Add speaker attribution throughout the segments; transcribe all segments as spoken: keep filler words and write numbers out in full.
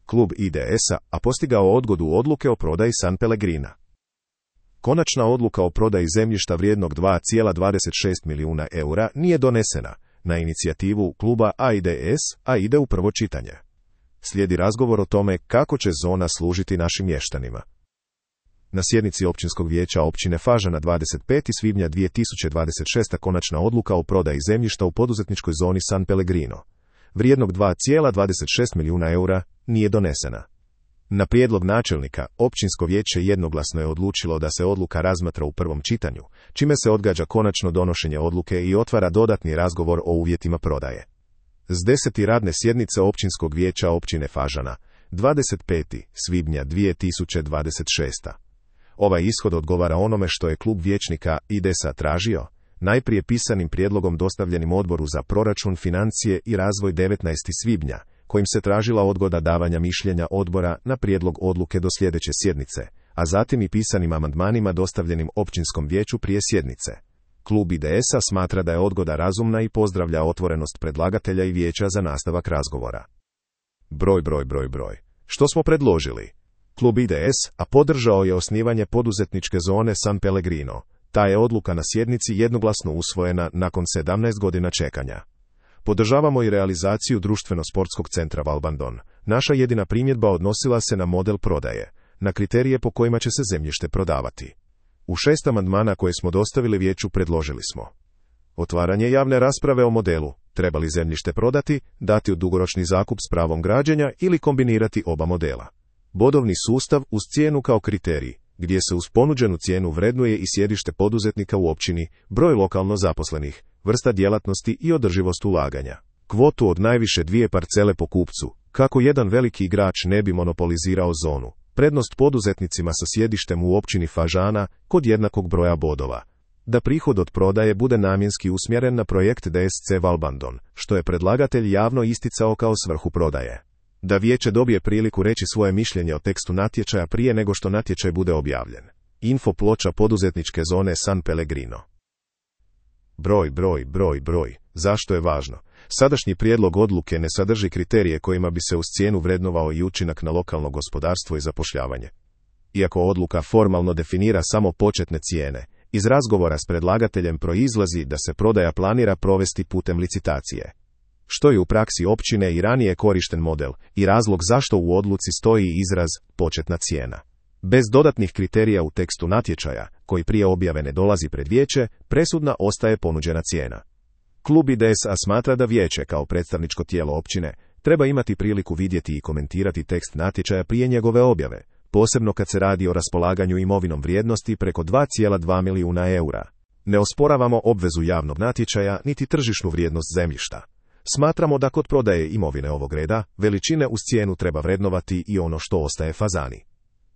Speaker 1: klub I D S-a, a postigao odgodu odluke o prodaji San Pellegrina. Konačna odluka o prodaji zemljišta vrijednog dva zarez dvadeset šest milijuna eura nije donesena na inicijativu kluba A I D S, a ide u prvo čitanje. Slijedi razgovor o tome kako će zona služiti našim mještanima. Na sjednici Općinskog vijeća općine Fažana dvadeset petog svibnja dvije tisuće dvadeset šeste. konačna odluka o prodaji zemljišta u poduzetničkoj zoni San Pellegrino, vrijednog dva zarez dvadeset šest milijuna eura, nije donesena. Na prijedlog načelnika, općinsko vijeće jednoglasno je odlučilo da se odluka razmatra u prvom čitanju, čime se odgađa konačno donošenje odluke i otvara dodatni razgovor o uvjetima prodaje. S desete radne sjednice Općinskog vijeća općine Fažana, dvadeset petog svibnja dvije tisuće dvadeset šeste. Ovaj ishod odgovara onome što je klub vijećnika I D S-a tražio, najprije pisanim prijedlogom dostavljenim Odboru za proračun, financije i razvoj devetnaestog svibnja, kojim se tražila odgoda davanja mišljenja odbora na prijedlog odluke do sljedeće sjednice, a zatim i pisanim amandmanima dostavljenim općinskom vijeću prije sjednice. Klub I D S-a smatra da je odgoda razumna i pozdravlja otvorenost predlagatelja i vijeća za nastavak razgovora. Broj, broj, broj, broj. Što smo predložili? Klub I D S-a podržao je osnivanje poduzetničke zone San Pellegrino. Ta je odluka na sjednici jednoglasno usvojena nakon sedamnaest godina čekanja. Podržavamo i realizaciju društveno-sportskog centra Valbandon. Naša jedina primjedba odnosila se na model prodaje, na kriterije po kojima će se zemljište prodavati. U šest amandmana koje smo dostavili vijeću predložili smo otvaranje javne rasprave o modelu, treba li zemljište prodati, dati u dugoročni zakup s pravom građenja ili kombinirati oba modela. Bodovni sustav uz cijenu kao kriterij, gdje se uz ponuđenu cijenu vrednuje i sjedište poduzetnika u općini, broj lokalno zaposlenih, vrsta djelatnosti i održivost ulaganja. Kvotu od najviše dvije parcele po kupcu, kako jedan veliki igrač ne bi monopolizirao zonu. Prednost poduzetnicima sa sjedištem u općini Fažana kod jednakog broja bodova. Da prihod od prodaje bude namjenski usmjeren na projekt D S C Valbandon, što je predlagatelj javno isticao kao svrhu prodaje. Da vijeće dobije priliku reći svoje mišljenje o tekstu natječaja prije nego što natječaj bude objavljen. Info ploča poduzetničke zone San Pellegrino. Broj, broj, broj, broj. Zašto je važno? Sadašnji prijedlog odluke ne sadrži kriterije kojima bi se uz cijenu vrednovao i učinak na lokalno gospodarstvo i zapošljavanje. Iako odluka formalno definira samo početne cijene, iz razgovora s predlagateljem proizlazi da se prodaja planira provesti putem licitacije. Što je u praksi općine i ranije korišten model i razlog zašto u odluci stoji izraz početna cijena. Bez dodatnih kriterija u tekstu natječaja, koji prije objave ne dolazi pred vijeće, presudna ostaje ponuđena cijena. Klub I D S-a smatra da vijeće kao predstavničko tijelo općine treba imati priliku vidjeti i komentirati tekst natječaja prije njegove objave, posebno kad se radi o raspolaganju imovinom vrijednosti preko dva zarez dva milijuna eura. Ne osporavamo obvezu javnog natječaja niti tržišnu vrijednost zemljišta. Smatramo da kod prodaje imovine ovog reda, veličine uz cijenu treba vrednovati i ono što ostaje Fazani.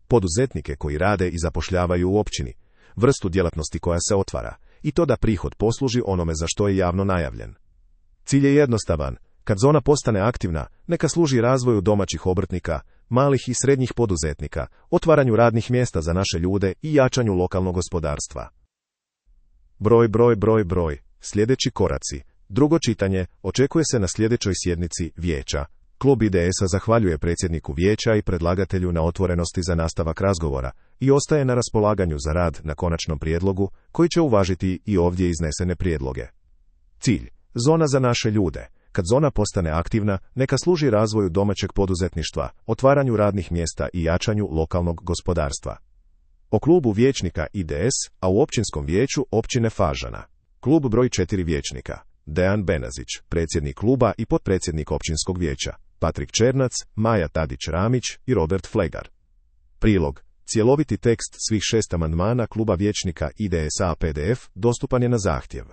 Speaker 1: Poduzetnike koji rade i zapošljavaju u općini, vrstu djelatnosti koja se otvara, i to da prihod posluži onome za što je javno najavljen. Cilj je jednostavan, kad zona postane aktivna, neka služi razvoju domaćih obrtnika, malih i srednjih poduzetnika, otvaranju radnih mjesta za naše ljude i jačanju lokalnog gospodarstva. Broj, broj, broj, broj. Sljedeći koraci. Drugo čitanje očekuje se na sljedećoj sjednici vijeća. Klub I D S-a zahvaljuje predsjedniku vijeća i predlagatelju na otvorenosti za nastavak razgovora i ostaje na raspolaganju za rad na konačnom prijedlogu, koji će uvažiti i ovdje iznesene prijedloge. Cilj. Zona za naše ljude. Kad zona postane aktivna, neka služi razvoju domaćeg poduzetništva, otvaranju radnih mjesta i jačanju lokalnog gospodarstva. O klubu vijećnika I D S, a u općinskom vijeću općine Fažana. Klub broj četiri vijećnika. Dejan Benazić, predsjednik kluba i potpredsjednik općinskog vijeća. Patrik Černac, Maja Tadić-Ramić i Robert Flegar. Prilog. Cjeloviti tekst svih šest amandmana kluba vijećnika I D S-a P D F dostupan je na zahtjev.